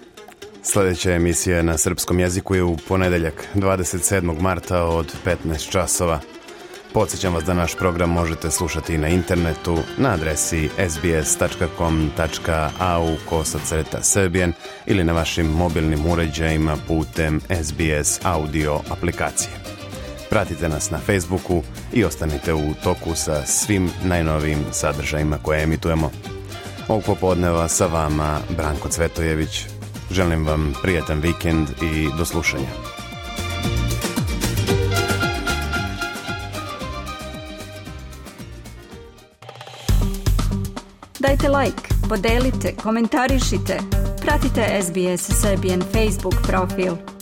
Sljedeća emisija na srpskom jeziku je u ponedeljak, dvadeset sedmog marta od petnaest časova. Podsjećam vas da naš program možete slušati i na internetu na adresi s b s tačka com tačka a u kosacrta srbijen ili na vašim mobilnim uređajima putem S B S audio aplikacije. Pratite nas na Facebooku i ostanite u toku sa svim najnovijim sadržajima koje emitujemo. Ovog popodneva sa vama Branko Cvetojević. Želim vam prijatan vikend i do slušanja. Dajte like, podelite, komentarišite. Pratite S B S Serbian Facebook profil.